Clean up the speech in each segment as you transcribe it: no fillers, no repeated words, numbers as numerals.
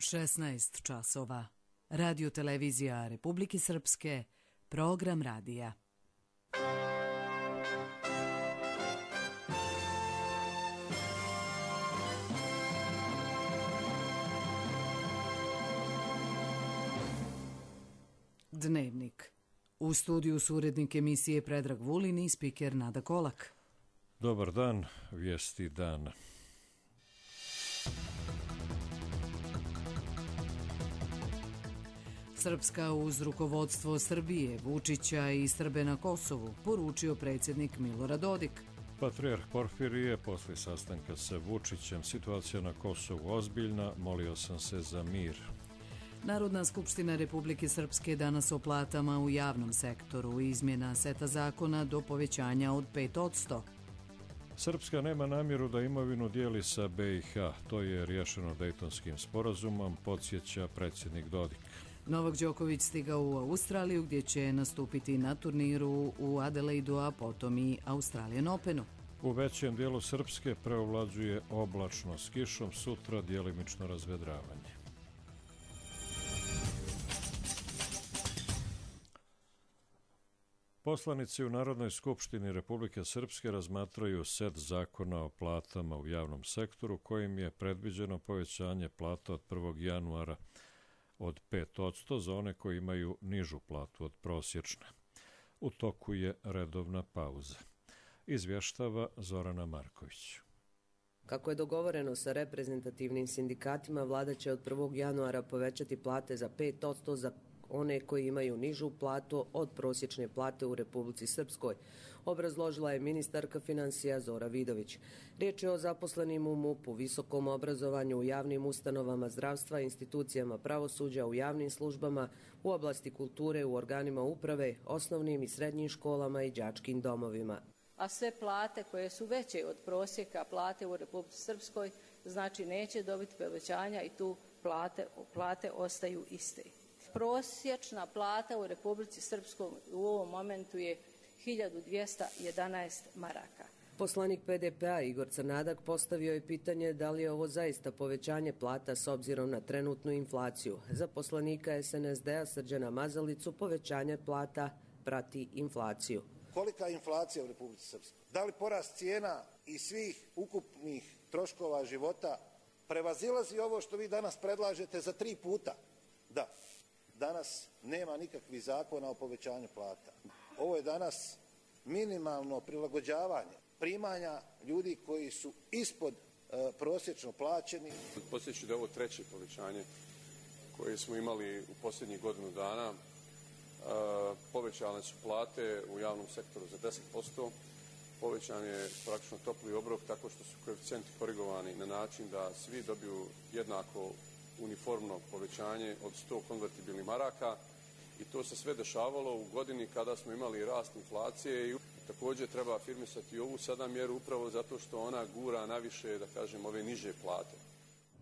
16 časova. Radio televizija Republike Srpske, program radija. Dnevnik. U studiju su urednik emisije Predrag Vulin i spiker Nada Kolak. Dobar dan, vijesti dana. Srpska uz rukovodstvo Srbije, Vučića i Srbe na Kosovu, poručio predsjednik Milorad Dodik. Patrijarh Porfirije posle sastanka sa Vučićem, situacija na Kosovu ozbiljna, molio sam se za mir. Narodna skupština Republike Srpske danas o platama u javnom sektoru, izmjena seta zakona do povećanja od 5%. Srpska nema namjeru da imovinu dijeli sa BiH, to je riješeno Dejtonskim sporazumom, podsjeća predsjednik Dodik. Novak Đoković stigao u Australiju gdje će nastupiti na turniru u Adelaidu, a potom i Australian Openu. U većem dijelu Srpske preovlađuje oblačno s kišom, sutra djelimično razvedravanje. Poslanici u Narodnoj skupštini Republike Srpske razmatraju set zakona o platama u javnom sektoru kojim je predviđeno povećanje plata od 1. januara od 5% za one koji imaju nižu platu od prosječne. U toku je redovna pauza. Izvještava Zorana Marković. Kako je dogovoreno sa reprezentativnim sindikatima, vlada će od 1. januara povećati plate za 5% za one koji imaju nižu platu od prosječne plate u Republici Srpskoj, obrazložila je ministarka financija Zora Vidović. Riječ je o zaposlenim u MUP-u, visokom obrazovanju, u javnim ustanovama zdravstva, institucijama pravosuđa, u javnim službama, u oblasti kulture, u organima uprave, osnovnim i srednjim školama i đačkim domovima. A sve plate koje su veće od prosjeka plate u Republici Srpskoj, znači neće dobiti povećanja i tu plate ostaju iste. Prosječna plata u Republici Srpskoj u ovom momentu je 1211 maraka. Poslanik PDP-a Igor Crnadak postavio je pitanje da li je ovo zaista povećanje plata s obzirom na trenutnu inflaciju. Za poslanika SNSD-a Srđana Mazalicu povećanje plata prati inflaciju. Kolika je inflacija u Republici Srpskoj? Da li porast cijena i svih ukupnih troškova života prevazilazi ovo što vi danas predlažete za 3 puta? Da. Danas nema nikakvih zakona o povećanju plata. Ovo je danas minimalno prilagođavanje primanja ljudi koji su ispod prosječno plaćeni. Podsjeću da je ovo treće povećanje koje smo imali u posljednjih godinu dana. Povećane su plate u javnom sektoru za 10%. Povećan je praktično topli obrok tako što su koeficijenti korigovani na način da svi dobiju jednako uniformno povećanje od 100 konvertibilnih maraka i to se sve dešavalo u godini kada smo imali rast inflacije i također treba afirmisati ovu sada mjeru upravo zato što ona gura naviše, da kažem, ove niže plate.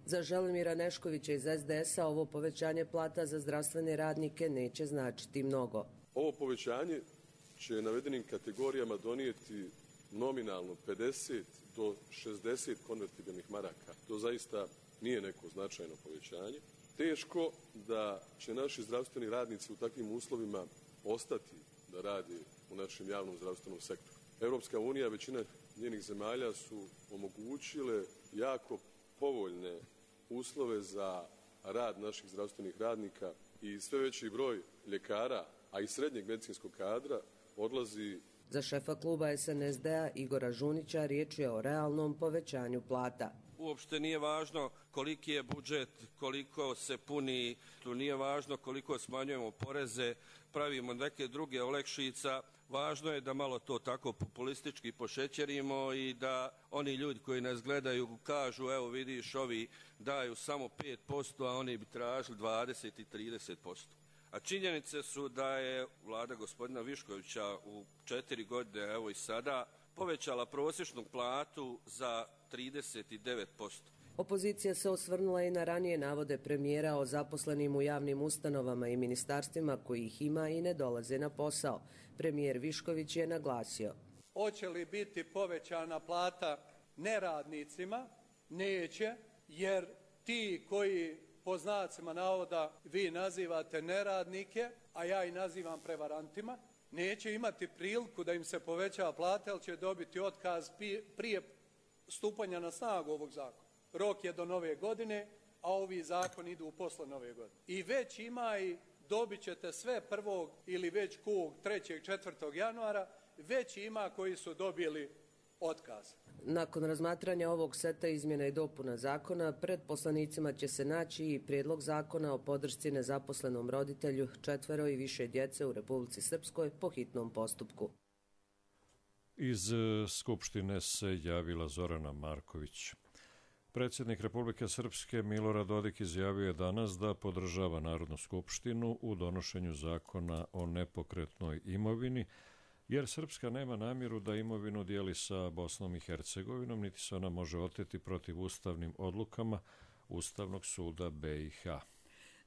Za Želimira Neškovića iz SDS-a ovo povećanje plata za zdravstvene radnike neće značiti mnogo. Ovo povećanje će navedenim kategorijama donijeti nominalno 50 do 60 konvertibilnih maraka. To zaista nije neko značajno povećanje. Teško da će naši zdravstveni radnici u takvim uslovima ostati da rade u našem javnom zdravstvenom sektoru. Europska unija, većina njenih zemalja su omogućile jako povoljne uslove za rad naših zdravstvenih radnika i sve veći broj ljekara, a i srednjeg medicinskog kadra odlazi. Za šefa kluba SNSD-a Igora Žunića riječ je o realnom povećanju plata. Uopšte nije važno koliki je budžet, koliko se puni, tu nije važno koliko smanjujemo poreze, pravimo neke druge olakšica. Važno je da malo to tako populistički pošećerimo i da oni ljudi koji nas gledaju kažu evo vidiš ovi daju samo 5%, a oni bi tražili 20 i 30%. A činjenice su da je vlada gospodina Viškovića u 4 godine, evo i sada, povećala prosječnu platu za 39%. Opozicija se osvrnula i na ranije navode premijera o zaposlenim u javnim ustanovama i ministarstvima koji ih ima i ne dolaze na posao. Premijer Višković je naglasio. Hoće li biti povećana plata neradnicima? Neće, jer ti koji po znacima navoda vi nazivate neradnike, a ja ih nazivam prevarantima, neće imati priliku da im se poveća plata, jer će dobiti otkaz prije stupanja na snagu ovog zakona. Rok je do nove godine, a ovi zakoni idu posle nove godine. I već ima i dobit ćete sve 1. ili već 3. 4. januara, već ima koji su dobili otkaz. Nakon razmatranja ovog seta izmjena i dopuna zakona, pred poslanicima će se naći i prijedlog zakona o podršci nezaposlenom roditelju 4 i više djece u Republici Srpskoj po hitnom postupku. Iz Skupštine se javila Zorana Marković. Predsjednik Republike Srpske Milorad Dodik izjavio je danas da podržava Narodnu skupštinu u donošenju zakona o nepokretnoj imovini, jer Srpska nema namjeru da imovinu dijeli sa Bosnom i Hercegovinom, niti se ona može oteti protiv ustavnim odlukama Ustavnog suda BiH.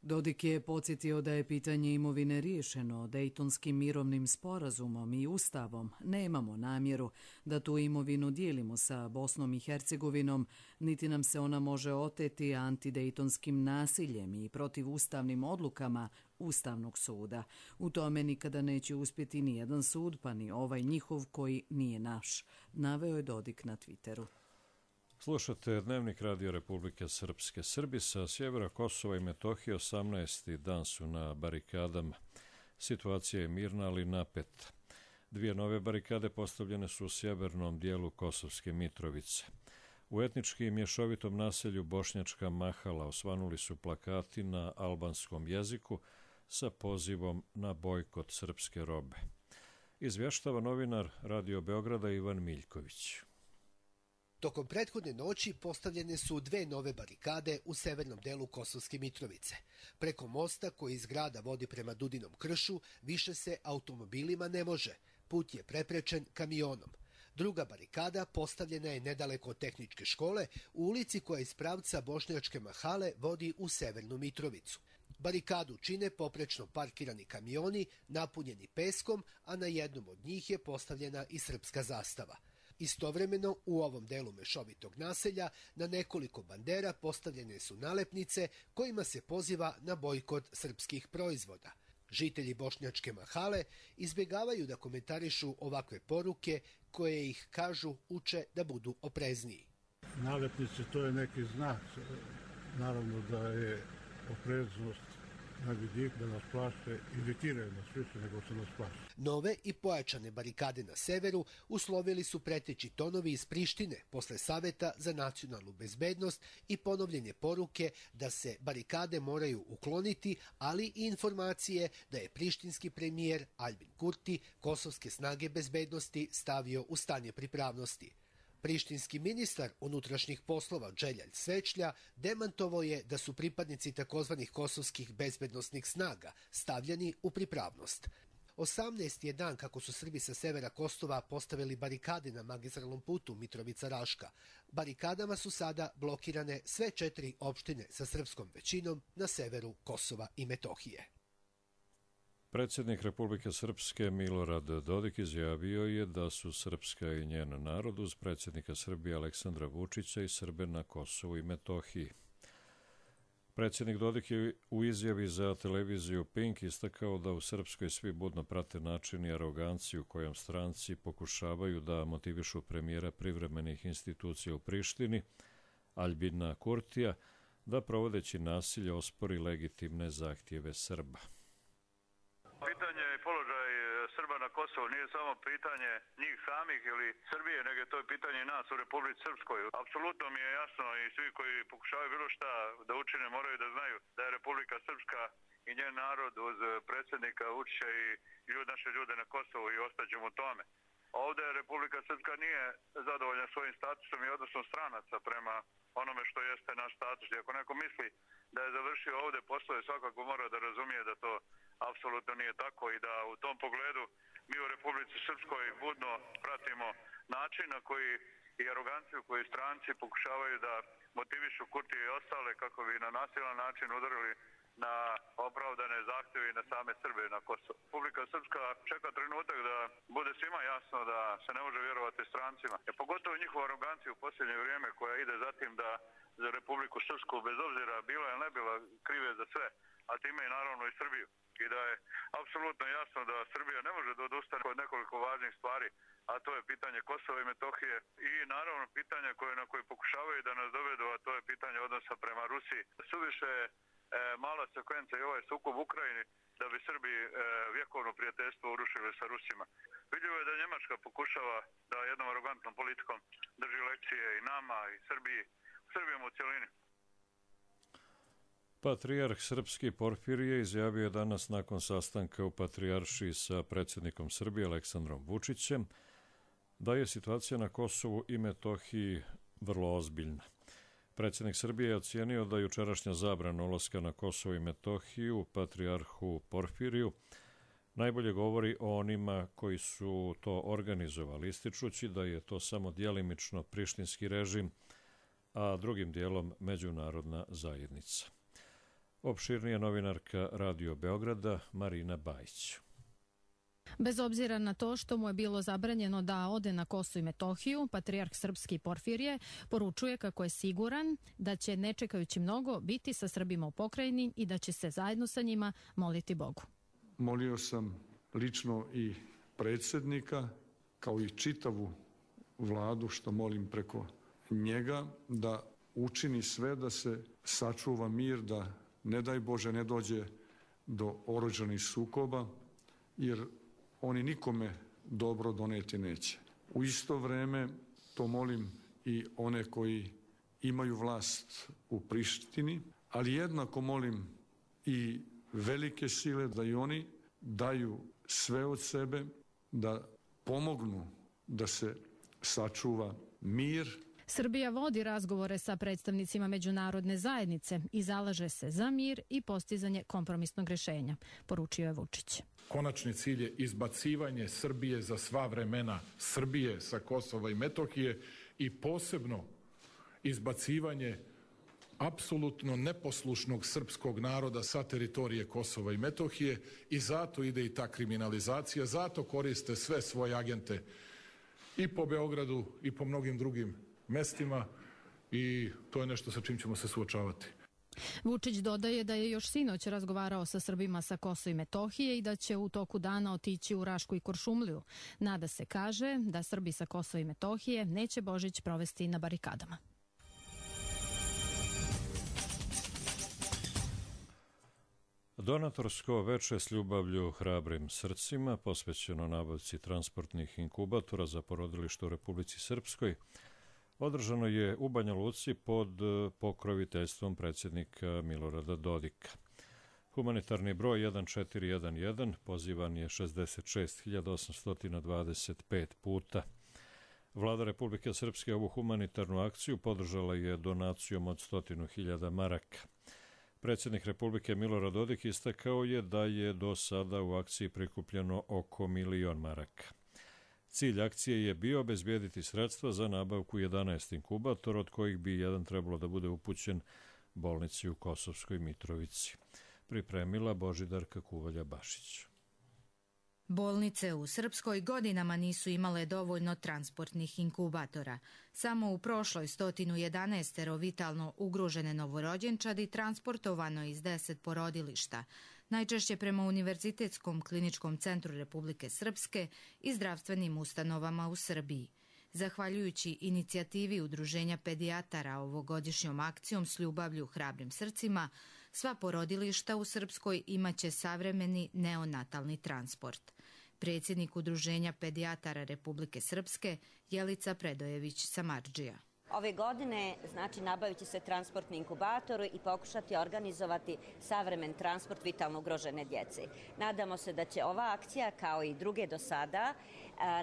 Dodik je podsjetio da je pitanje imovine riješeno Dejtonskim mirovnim sporazumom i ustavom. Nemamo namjeru da tu imovinu dijelimo sa Bosnom i Hercegovinom, niti nam se ona može oteti antidejtonskim nasiljem i protivustavnim odlukama Ustavnog suda. U tome nikada neće uspjeti ni jedan sud, pa ni ovaj njihov koji nije naš, naveo je Dodik na Twitteru. Slušate Dnevnik Radio Republike Srpske. Srbi sa sjevera Kosova i Metohije 18. dan su na barikadama. Situacija je mirna, ali napeta. 2 nove barikade postavljene su u sjevernom dijelu Kosovske Mitrovice. U etnički mješovitom naselju Bošnjačka Mahala osvanuli su plakati na albanskom jeziku sa pozivom na bojkot srpske robe. Izvještava novinar Radio Beograda Ivan Miljković. Tokom prethodne noći postavljene su 2 nove barikade u severnom delu Kosovske Mitrovice. Preko mosta koji iz grada vodi prema Dudinom kršu više se automobilima ne može. Put je preprečen kamionom. Druga barikada postavljena je nedaleko od tehničke škole u ulici koja iz pravca Bošnjačke Mahale vodi u severnu Mitrovicu. Barikadu čine poprečno parkirani kamioni napunjeni peskom, a na jednom od njih je postavljena i srpska zastava. Istovremeno, u ovom delu mešovitog naselja na nekoliko bandera postavljene su nalepnice kojima se poziva na bojkot srpskih proizvoda. Žitelji Bošnjačke Mahale izbjegavaju da komentarišu ovakve poruke koje ih, kažu, uče da budu oprezniji. Nalepnice, to je neki znak. Naravno da je opreznost na vidik, da nas plaše, iritiraju nas više nego što nas plaše. Nove i pojačane barikade na severu uslovili su preteći tonovi iz Prištine posle Saveta za nacionalnu bezbednost i ponovljenje poruke da se barikade moraju ukloniti, ali i informacije da je prištinski premijer Albin Kurti kosovske snage bezbednosti stavio u stanje pripravnosti. Prištinski ministar unutrašnjih poslova Dželjalj Svečlja demantovao je da su pripadnici takozvanih kosovskih bezbednosnih snaga stavljeni u pripravnost. 18. je dan kako su Srbi sa severa Kosova postavili barikade na magistralnom putu Mitrovica-Raška. Barikadama su sada blokirane sve 4 opštine sa srpskom većinom na severu Kosova i Metohije. Predsjednik Republike Srpske Milorad Dodik izjavio je da su Srpska i njen narod uz predsjednika Srbije Aleksandra Vučića i Srbe na Kosovu i Metohiji. Predsjednik Dodik je u izjavi za televiziju Pink istakao da u Srpskoj svi budno prate način i aroganciju kojom stranci pokušavaju da motivišu premijera privremenih institucija u Prištini, Albina Kurtija, da provodeći nasilje ospori legitimne zahtjeve Srba. Pitanje i položaj Srba na Kosovu nije samo pitanje njih samih ili Srbije, nego je to pitanje i nas u Republici Srpskoj. Apsolutno mi je jasno i svi koji pokušavaju bilo šta da učine moraju da znaju da je Republika Srpska i njen narod uz predsjednika Vučića i naše ljude na Kosovu i ostaćemo u tome. Ovdje Republika Srpska nije zadovoljna svojim statusom i odnosom stranaca prema onome što jeste naš status. I ako neko misli da je završio ovdje poslove, svakako mora da razumije da to apsolutno nije tako i da u tom pogledu mi u Republici Srpskoj budno pratimo način na koji i aroganciju koju stranci pokušavaju da motivišu Kurtije i ostale kako bi na nasilan način udarili na opravdane zahtjeve i na same Srbe na Kosovo. Republika Srpska čeka trenutak da bude svima jasno da se ne može vjerovati strancima. Pogotovo njihova arogancija u posljednje vrijeme koja ide za tim da za Republiku Srpsku, bez obzira bila ili ne bila, krive za sve, a time i naravno i Srbiju. I da je apsolutno jasno da Srbija ne može da odustane od nekoliko važnih stvari, a to je pitanje Kosova i Metohije i naravno pitanje na koje pokušavaju da nas dovedu, a to je pitanje odnosa prema Rusiji. Suviše je mala sekvenca i ovaj sukob u Ukrajini da bi Srbi vjekovno prijateljstvo urušili sa Rusima. Vidljivo je da Njemačka pokušava da jednom arogantnom politikom drži lekcije i nama i Srbijom u cjelini. Patrijarh srpski Porfirije izjavio je danas nakon sastanka u Patrijaršiji sa predsjednikom Srbije Aleksandrom Vučićem da je situacija na Kosovu i Metohiji vrlo ozbiljna. Predsjednik Srbije je ocijenio da jučerašnja zabrana ulaska na Kosovo i Metohiju Patrijarhu Porfiriju najbolje govori o onima koji su to organizovali, ističući da je to samo djelimično prištinski režim, a drugim dijelom međunarodna zajednica. Opširnija novinarka Radio Beograda Marina Bajić. Bez obzira na to što mu je bilo zabranjeno da ode na Kosovo i Metohiju, patrijarh srpski Porfirije poručuje kako je siguran da će, ne čekajući mnogo, biti sa Srbima u pokrajini i da će se zajedno sa njima moliti Bogu. Molio sam lično i predsjednika, kao i čitavu vladu, što molim preko njega, da učini sve da se sačuva mir, da ne daj Bože ne dođe do oružanih sukoba, jer oni nikome dobro doneti neće. U isto vrijeme to molim i one koji imaju vlast u Prištini, ali jednako molim i velike sile da i oni daju sve od sebe, da pomognu da se sačuva mir. Srbija vodi razgovore sa predstavnicima međunarodne zajednice i zalaže se za mir i postizanje kompromisnog rješenja, poručio je Vučić. Konačni cilj je izbacivanje Srbije za sva vremena, Srbije sa Kosova i Metohije i posebno izbacivanje apsolutno neposlušnog srpskog naroda sa teritorije Kosova i Metohije i zato ide i ta kriminalizacija, zato koriste sve svoje agente i po Beogradu i po mnogim drugim mestima i to je nešto sa čim ćemo se suočavati. Vučić dodaje da je još sinoć razgovarao sa Srbima sa Kosova i Metohije i da će u toku dana otići u Rašku i Kuršumliju. Nada se, kaže, da Srbi sa Kosova i Metohije neće Božić provesti na barikadama. Donatorsko veče s ljubavlju hrabrim srcima, posvećeno nabavci transportnih inkubatora za porodilište u Republici Srpskoj, održano je u Banja Luci pod pokroviteljstvom predsjednika Milorada Dodika. Humanitarni broj 1411 pozivan je 66.825 puta. Vlada Republike Srpske ovu humanitarnu akciju podržala je donacijom od 100.000 maraka. Predsjednik Republike Milorad Dodik istakao je da je do sada u akciji prikupljeno oko 1.000.000 maraka. Cilj akcije je bio obezbijediti sredstva za nabavku 11 inkubatora, od kojih bi jedan trebalo da bude upućen bolnici u Kosovskoj Mitrovici. Pripremila Božidarka Kuvalja-Bašić. Bolnice u Srpskoj godinama nisu imale dovoljno transportnih inkubatora. Samo u prošloj 111 vitalno ugrožene novorođenčadi transportovano iz 10 porodilišta, najčešće prema Univerzitetskom kliničkom centru Republike Srpske i zdravstvenim ustanovama u Srbiji. Zahvaljujući inicijativi Udruženja pedijatara ovogodišnjom akcijom s ljubavlju hrabrim srcima, sva porodilišta u Srpskoj imaće savremeni neonatalni transport. Predsjednik Udruženja pedijatara Republike Srpske Jelica Predojević-Samardžija. Ove godine nabavit će se transportni inkubator i pokušati organizovati savremen transport vitalno ugrožene djece. Nadamo se da će ova akcija, kao i druge do sada,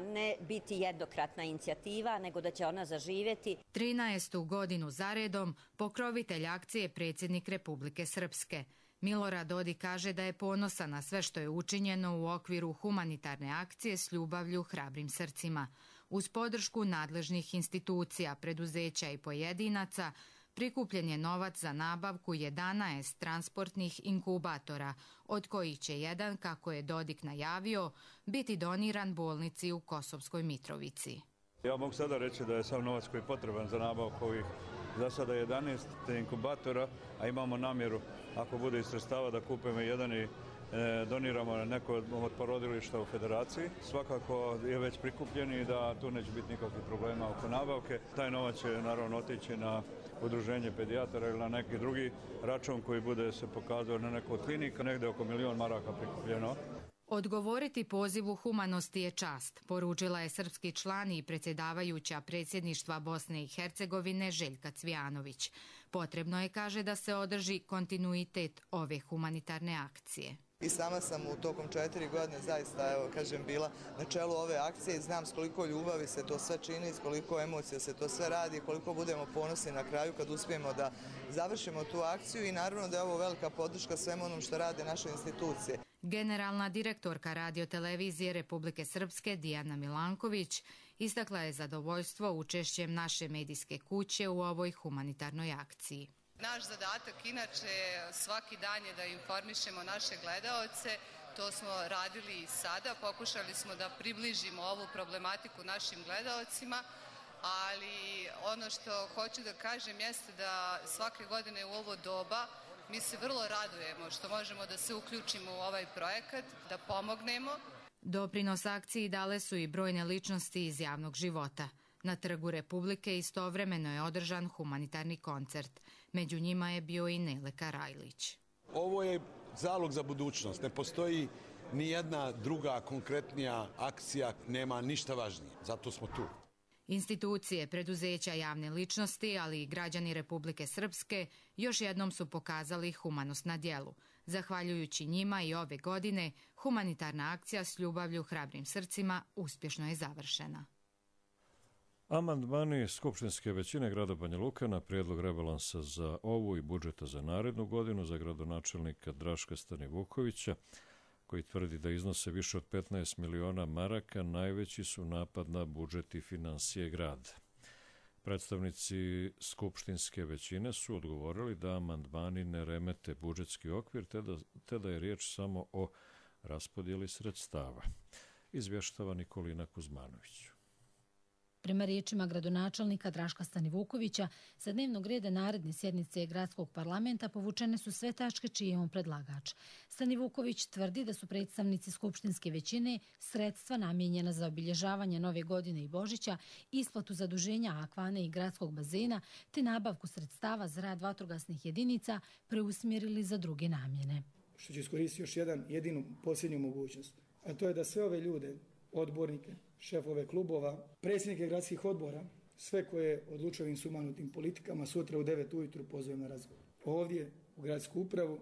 ne biti jednokratna inicijativa, nego da će ona zaživjeti. 13. godinu zaredom pokrovitelj akcije je predsjednik Republike Srpske. Milorad Dodik kaže da je ponosan na sve što je učinjeno u okviru humanitarne akcije s ljubavlju hrabrim srcima. Uz podršku nadležnih institucija, preduzeća i pojedinaca, Prikupljen je novac za nabavku 11 transportnih inkubatora, od kojih će jedan, kako je Dodik najavio, biti doniran bolnici u Kosovskoj Mitrovici. Ja mogu sada reći da je sav novac koji je potreban za nabavku ovih za sada 11 inkubatora, a imamo namjeru, ako bude iz sredstava, da kupimo jedan i doniramo neko od porodilišta u Federaciji. Svakako je već prikupljen i da tu neće biti nikakvih problema oko nabavke. Taj novac će naravno otići na udruženje pedijatara ili na neki drugi račun koji bude se pokazao na neku od klinika, negdje oko 1 milion maraka prikupljeno. Odgovoriti pozivu humanosti je čast, poručila je srpski član i predsjedavajuća predsjedništva Bosne i Hercegovine Željka Cvijanović. Potrebno je, kaže, da se održi kontinuitet ove humanitarne akcije. I sama sam u tokom 4 godine zaista, bila na čelu ove akcije i znam s koliko ljubavi se to sve čini, s koliko emocija se to sve radi, koliko budemo ponosni na kraju kad uspijemo da završimo tu akciju i naravno da je ovo velika podrška svemu onom što rade naše institucije. Generalna direktorka radiotelevizije Republike Srpske Dijana Milanković istakla je zadovoljstvo učešćem naše medijske kuće u ovoj humanitarnoj akciji. Naš zadatak inače svaki dan je da informišemo naše gledaoce, to smo radili i sada, pokušali smo da približimo ovu problematiku našim gledaocima, ali ono što hoću da kažem jeste da svake godine u ovo doba mi se vrlo radujemo što možemo da se uključimo u ovaj projekat, da pomognemo. Doprinos akciji dale su i brojne ličnosti iz javnog života. Na Trgu Republike istovremeno je održan humanitarni koncert. Među njima je bio i Nele Karajlić. Ovo je zalog za budućnost. Ne postoji ni jedna druga konkretnija akcija, nema ništa važnije. Zato smo tu. Institucije, preduzeća, javne ličnosti, ali i građani Republike Srpske još jednom su pokazali humanost na djelu. Zahvaljujući njima i ove godine, humanitarna akcija s ljubavlju hrabrim srcima uspješno je završena. Amandmani skupštinske većine grada Banja Luka na prijedlog rebalansa za ovu i budžeta za narednu godinu za gradonačelnika Draška Stanivukovića, koji tvrdi da iznose više od 15 miliona maraka, najveći su napad na budžet i finansije grada. Predstavnici skupštinske većine su odgovorili da amandmani ne remete budžetski okvir, te da je riječ samo o raspodjeli sredstava. Izvještava Nikolina Kuzmanović. Prema riječima gradonačelnika Draška Stanivukovića, sa dnevnog reda naredne sjednice gradskog parlamenta povučene su sve tačke čiji je on predlagač. Stanivuković tvrdi da su predstavnici skupštinske većine sredstva namijenjena za obilježavanje Nove godine i Božića, isplatu zaduženja Akvane i gradskog bazena te nabavku sredstava za rad vatrogasnih jedinica preusmjerili za druge namjene. Što će iskoristiti još jedinu posljednju mogućnost, a to je da sve ove ljude, odbornike, šefove klubova, predsjednike gradskih odbora, sve koje odlučuju ovim sumanutim politikama, sutra u 9 ujutru pozovem na razgovor. Ovdje u gradsku upravu,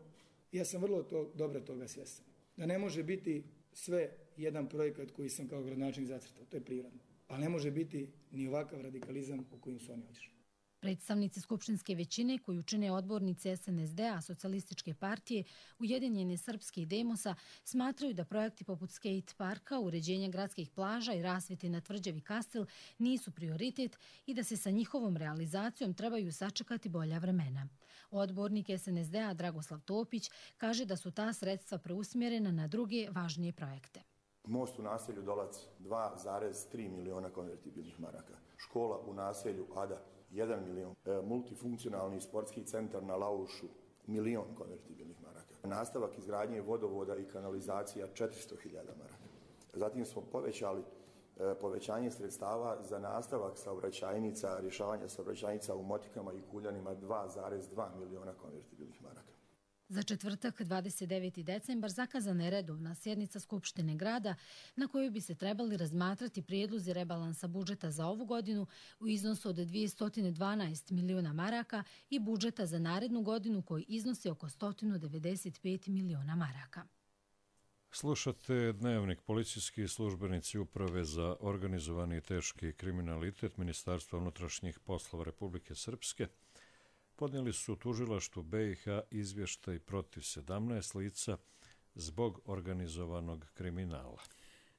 ja sam vrlo dobro toga svjestan. Da ne može biti sve jedan projekat koji sam kao gradonačelnik zacrtao, to je prirodno. Ali ne može biti ni ovakav radikalizam u kojim su oni otišli. Predstavnici skupštinske većine koju čine odbornici SNSD-a, Socijalističke partije, Ujedinjene Srpske i Demosa smatraju da projekti poput skate parka, uređenja gradskih plaža i rasvjete na tvrđavi Kastel nisu prioritet i da se sa njihovom realizacijom trebaju sačekati bolja vremena. Odbornik SNSD-a Dragoslav Topić kaže da su ta sredstva preusmjerena na druge važnije projekte. Most u naselju Dolac 2,3 miliona konvertibilnih maraka. Škola u naselju Ada 1 milion, multifunkcionalni sportski centar na Laušu, 1 milion konvertibilnih maraka. Nastavak izgradnje vodovoda i kanalizacija 400.000 maraka. Zatim smo povećali povećanje sredstava za nastavak saobraćajnica, rješavanja saobraćajnica u Motikama i Kuljanima 2,2 miliona konvertibilnih maraka. Za četvrtak, 29. decembar, zakazana je redovna sjednica Skupštine grada na kojoj bi se trebali razmatrati prijedlozi rebalansa budžeta za ovu godinu u iznosu od 212 miliona maraka i budžeta za narednu godinu koji iznosi oko 195 miliona maraka. Slušate dnevnik. Policijski službenici Uprave za organizovani i teški kriminalitet Ministarstva unutrašnjih poslova Republike Srpske podnijeli su tužilaštvu BiH izvještaj protiv 17 lica zbog organizovanog kriminala.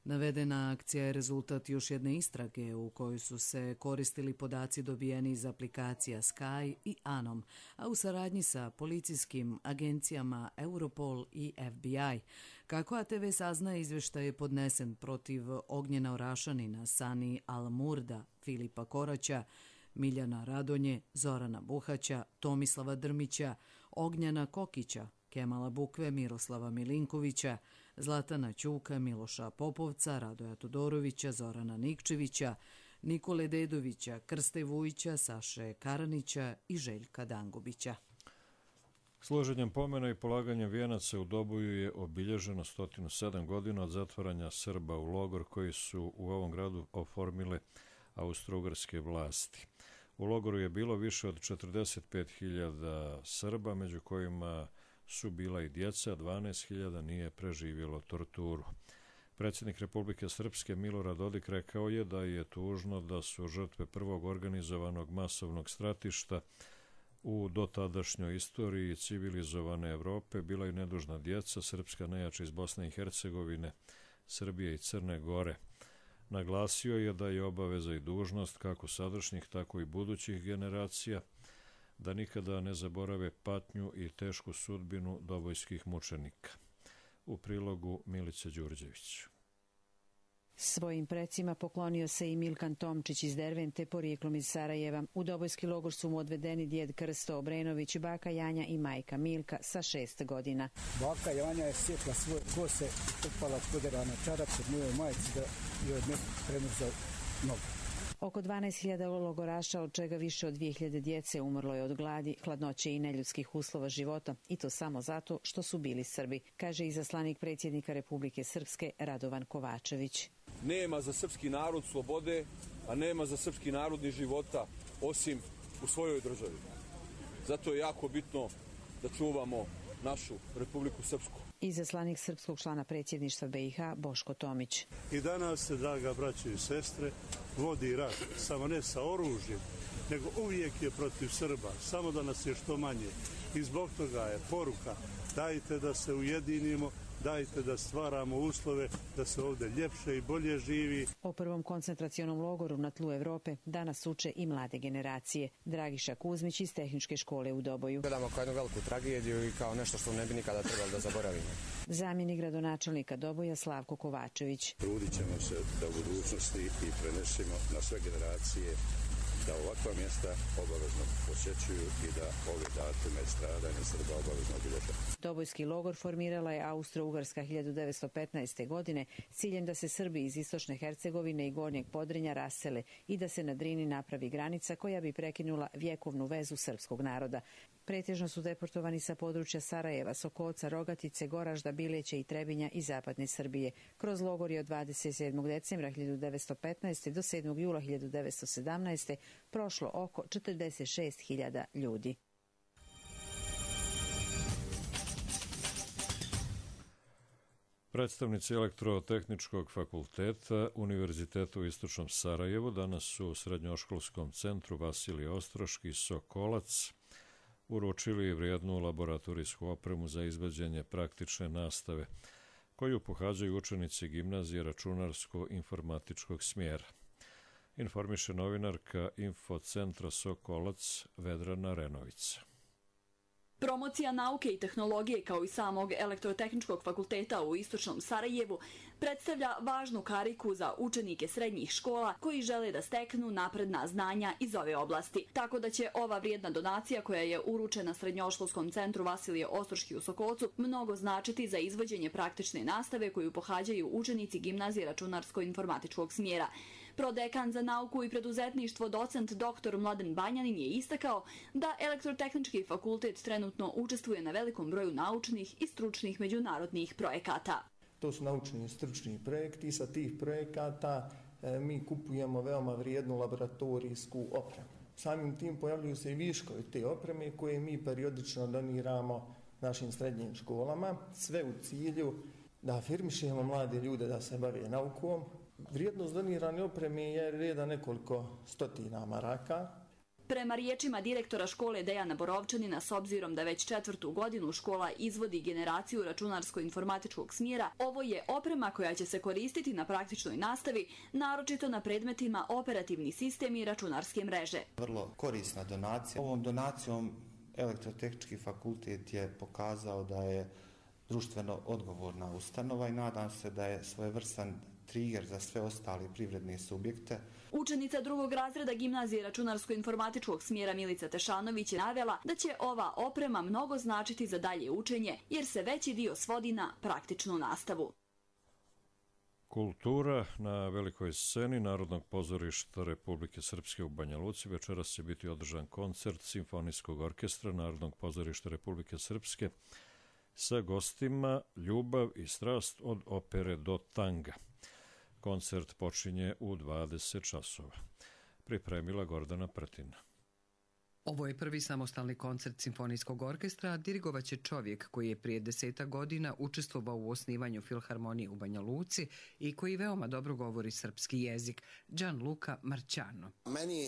Navedena akcija je rezultat još jedne istrage u kojoj su se koristili podaci dobijeni iz aplikacija Sky i Anom, a u saradnji sa policijskim agencijama Europol i FBI. Kako ATV saznaje, izveštaj je podnesen protiv Ognjena Orašanina, Sani Al-Murda, Filipa Koraća, Miljana Radonje, Zorana Buhaća, Tomislava Drmića, Ognjana Kokića, Kemala Bukve, Miroslava Milinkovića, Zlatana Ćuka, Miloša Popovca, Radoja Todorovića, Zorana Nikčevića, Nikole Dedovića, Krste Vujića, Saše Karanića i Željka Dangubića. Složenjem pomena i polaganjem vijenaca u Doboju je obilježeno 107 godina od zatvaranja Srba u logor koji su u ovom gradu oformile austro-ugarske vlasti. U logoru je bilo više od 45.000 Srba, među kojima su bila i djeca, 12.000 nije preživjelo torturu. Predsjednik Republike Srpske Milorad Dodik rekao je da je tužno da su žrtve prvog organizovanog masovnog stratišta u dotadašnjoj istoriji civilizovane Evrope bila i nedužna djeca, srpska nejača iz Bosne i Hercegovine, Srbije i Crne Gore. Naglasio je da je obaveza i dužnost kako sadašnjih, tako i budućih generacija da nikada ne zaborave patnju i tešku sudbinu dobojskih mučenika. U prilogu Milice Đurđević. Svojim precima poklonio se i Milkan Tomčić iz Dervente, porijeklom iz Sarajeva. U dobojski logor su mu odvedeni djed Krsto Obrenović, baka Janja i majka Milka sa 6 godina. Baka Janja je sjekla svoje kose i trpala podera na čarac od moje majice da joj ne premrzao nogu. Oko 12.000 logoraša, od čega više od 2.000 djece umrlo je od gladi, hladnoće i neljudskih uslova života, i to samo zato što su bili Srbi, kaže izaslanik predsjednika Republike Srpske Radovan Kovačević. Nema za srpski narod slobode, a nema za srpski narod ni života, osim u svojoj državi. Zato je jako bitno da čuvamo našu Republiku Srpsku. Izaslanik srpskog člana predsjedništva BiH Boško Tomić. I danas se, draga braćo i sestre, vodi rat, samo ne sa oružjem, nego uvijek je protiv Srba, samo da nas je što manje. I zbog toga je poruka, dajte da se ujedinimo, dajte da stvaramo uslove da se ovdje ljepše i bolje živi. O prvom koncentracionom logoru na tlu Evrope danas uče i mlade generacije. Dragiša Kuzmić iz Tehničke škole u Doboju. Gledamo kao jednu veliku tragediju i kao nešto što ne bi nikada trebalo da zaboravimo. Zamjenik gradonačelnika Doboja Slavko Kovačević. Trudit ćemo se da u budućnosti i prenesimo na sve generacije da ovakva mjesta obavezno posjećuju i da ove datume stradanja Srba obavezno obilježe. Dobojski logor formirala je Austro-Ugarska 1915. godine s ciljem da se Srbi iz istočne Hercegovine i Gornjeg Podrinja rasele i da se na Drini napravi granica koja bi prekinula vjekovnu vezu srpskog naroda. Pretežno su deportovani sa područja Sarajeva, Sokolca, Rogatice, Goražda, Bileća i Trebinja i zapadne Srbije. Kroz logor je od 27. decembra 1915. do 7. jula 1917. prošlo oko 46.000 ljudi. Predstavnici Elektrotehničkog fakulteta Univerziteta u Istočnom Sarajevu danas su u Srednjoškolskom centru Vasilije Ostroški Sokolac uručili vrijednu laboratorijsku opremu za izvođenje praktične nastave, koju pohađaju učenici gimnazije računarsko-informatičkog smjera. Informiše novinarka Infocentra Sokolac Vedrana Renovica. Promocija nauke i tehnologije kao i samog Elektrotehničkog fakulteta u Istočnom Sarajevu predstavlja važnu kariku za učenike srednjih škola koji žele da steknu napredna znanja iz ove oblasti. Tako da će ova vrijedna donacija koja je uručena Srednjoškolskom centru Vasilije Ostroški u Sokolcu mnogo značiti za izvođenje praktične nastave koju pohađaju učenici gimnazije računarsko-informatičkog smjera. Prodekan za nauku i preduzetništvo docent dr. Mladen Banjanin je istakao da Elektrotehnički fakultet trenutno učestvuje na velikom broju naučnih i stručnih međunarodnih projekata. To su naučni i stručni projekti i sa tih projekata mi kupujemo veoma vrijednu laboratorijsku opremu. Samim tim pojavljuju se i viškovi te opreme koje mi periodično doniramo našim srednjim školama, sve u cilju da afirmišemo mlade ljude da se bave naukom. Vrijednost donirane opreme je reda nekoliko stotina maraka. Prema riječima direktora škole Dejana Borovčanina, s obzirom da već 4. godinu škola izvodi generaciju računarsko-informatičkog smjera, ovo je oprema koja će se koristiti na praktičnoj nastavi, naročito na predmetima operativni sistem i računarske mreže. Vrlo korisna donacija. Ovom donacijom Elektrotehnički fakultet je pokazao da je društveno odgovorna ustanova i nadam se da je svojevrstan trigger za sve ostale privredne subjekte. Učenica 2. razreda gimnazije računarsko-informatičkog smjera Milica Tešanović je navela da će ova oprema mnogo značiti za dalje učenje, jer se veći dio svodi na praktičnu nastavu. Kultura na velikoj sceni Narodnog pozorišta Republike Srpske u Banja Luci. Večeras će biti održan koncert Simfonijskog orkestra Narodnog pozorišta Republike Srpske sa gostima Ljubav i strast od opere do tanga. Koncert počinje u 20 časova. Pripremila Gordana Pretina. Ovo je prvi samostalni koncert Simfonijskog orkestra, dirigovaće čovjek koji je prije 10 godina učestvovao u osnivanju Filharmonije u Banja Luci i koji veoma dobro govori srpski jezik, Gianluca Marciano.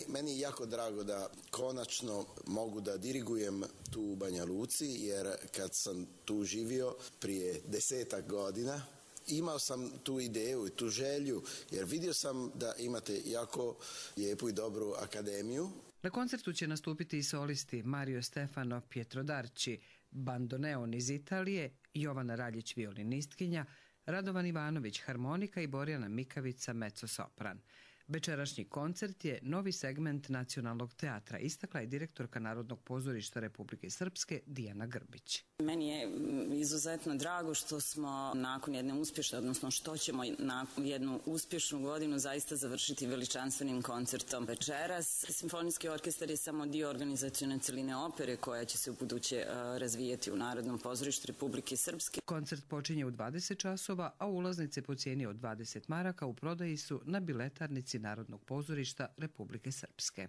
Meni je jako drago da konačno mogu da dirigujem tu u Banja Luci, jer kad sam tu živio prije 10 godina, imao sam tu ideju i tu želju, jer vidio sam da imate jako lijepu i dobru akademiju. Na koncertu će nastupiti i solisti Mario Stefano Pietro Darci, bandoneon iz Italije, Jovana Raljić violinistkinja, Radovan Ivanović harmonika i Borjana Mikavica mezzo-sopran. Večerašnji koncert je novi segment Nacionalnog teatra, istakla je direktorka Narodnog pozorišta Republike Srpske Dijana Grbić. Meni je izuzetno drago što smo nakon jedne uspješne, odnosno što ćemo na jednu uspješnu godinu zaista završiti veličanstvenim koncertom večeras. Simfonijski orkestar je samo dio organizacione celine opere koja će se u buduće razvijeti u Narodnom pozorištu Republike Srpske. Koncert počinje u 20 časova, a ulaznice po cijeni od 20 maraka u prodaji su na biletarnici Narodnog pozorišta Republike Srpske.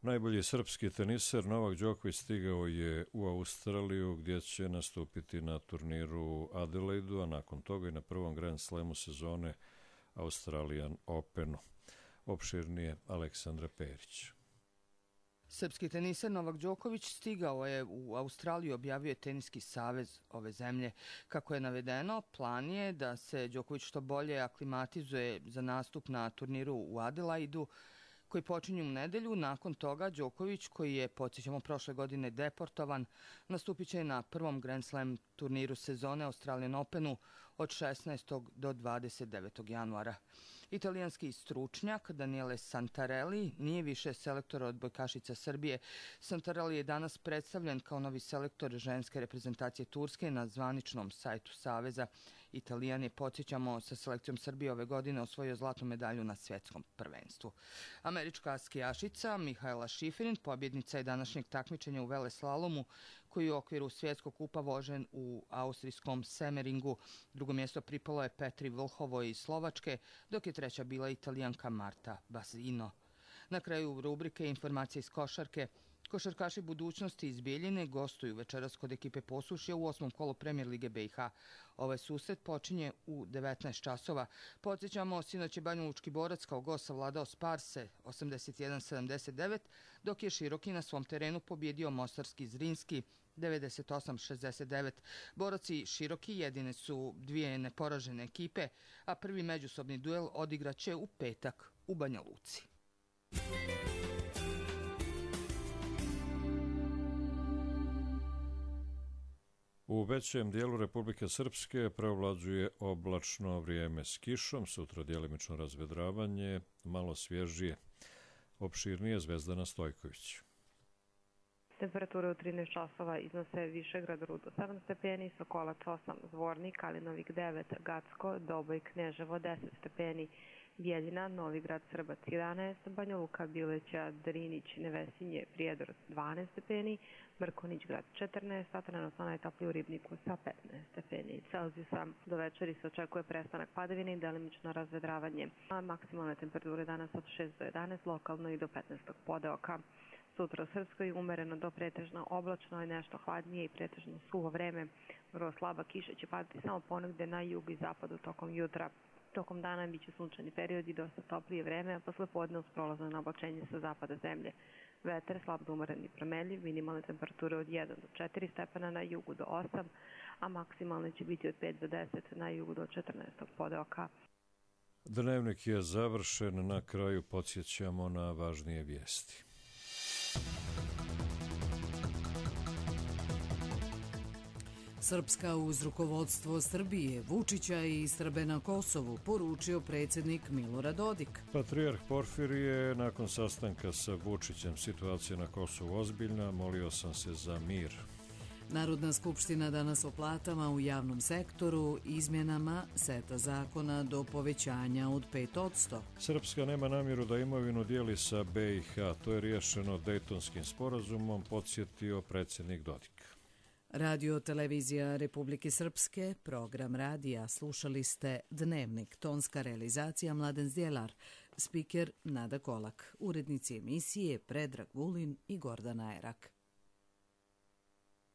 Najbolji srpski teniser Novak Đoković stigao je u Australiju, gdje će nastupiti na turniru Adelaidu, a nakon toga i na prvom Grand Slamu sezone Australian Openu. Opširnije Aleksandra Perić. Srpski teniser Novak Đoković stigao je u Australiju, objavio je Teniski savez ove zemlje. Kako je navedeno, plan je da se Đoković što bolje aklimatizuje za nastup na turniru u Adelaidu, koji počinju u nedelju. Nakon toga Đoković, koji je, podsjećamo, prošle godine deportovan, nastupit će na prvom Grand Slam turniru sezone Australian Openu od 16. do 29. januara. Italijanski stručnjak Daniele Santarelli nije više selektor odbojkašica Srbije. Santarelli je danas predstavljen kao novi selektor ženske reprezentacije Turske na zvaničnom sajtu Saveza. Italijan je, podsjećamo, sa selekcijom Srbije ove godine osvojio zlatnu medalju na svjetskom prvenstvu. Američka skijašica Mihaela Šiferin, pobjednica je današnjeg takmičenja u veleslalomu, koji u okviru svjetskog kupa vožen u austrijskom Semeringu. Drugo mjesto pripalo je Petri Vlhovoj iz Slovačke, dok je treća bila Italijanka Marta Basino. Na kraju rubrike informacije iz košarke. Košarkaši budućnosti iz Bijeljine gostuju večeras kod ekipe Posušja u 8. kolu Premier Lige BiH. Ovaj susret počinje u 19 časova. Podsjećamo, sinoć je Banjalučki Borac kao gost savladao Sparse 81-79, dok je Široki na svom terenu pobjedio mostarski Zrinski 98-69. Borac i Široki jedine su dvije neporažene ekipe, a prvi međusobni duel odigraće u petak u Banja Luci. U većem dijelu Republike Srpske preovlađuje oblačno vrijeme s kišom, sutra djelimično razvedravanje, malo svježije. Opširnije Zvezdana Stojković. Temperature u 13 časova iznose Višegrad, Rudo 7 stepeni, Sokolac 8, Zvornik, Kalinovik 9, Gacko, Doboj, Kneževo 10 stepeni, Bijeljina, Novigrad, Srbac 11, Banja Luka, Bileća, Drinić, Nevesinje, Prijedor 12 stepeni, Mrkonić grad 14, a trenutno najtopliji u Ribniku sa 15 stepeni Celzijusa. Do večeri se očekuje prestanak padavine i delimično razvedravanje, a maksimalne temperature danas od 6 do 11, lokalno i do 15. podeoka. Sutra u Srpskoj umereno do pretežno oblačno i nešto hladnije i pretežno suvo vreme. Vrlo slaba kiša će padati samo ponegde na jugu i zapadu tokom jutra. Tokom dana biće sunčani period i dosta toplije vreme, a posle podne uz prolazno nablačenje sa zapada zemlje. Vetar slab do umeren i promenljiv, minimalne temperature od 1 do 4 stepena, na jugu do 8, a maksimalne će biti od 5 do 10, na jugu do 14 podeoka. Dnevnik je završen, na kraju podsjećamo na važnije vijesti. Srpska uz rukovodstvo Srbije, Vučića i Srbe na Kosovu, poručio predsjednik Milorad Dodik. Patrijarh Porfirije nakon sastanka sa Vučićem, situacija na Kosovu ozbiljna, molio sam se za mir. Narodna skupština danas o platama u javnom sektoru, izmjenama seta zakona do povećanja od 5%. Srpska nema namjeru da imovinu dijeli sa BiH, to je riješeno Dejtonskim sporazumom, podsjetio predsjednik Dodik. Radio televizija Republike Srpske, program radija, slušali ste Dnevnik, tonska realizacija Mladen Zdjelar, spiker Nada Kolak, urednici emisije Predrag Vulin i Gordana Erak.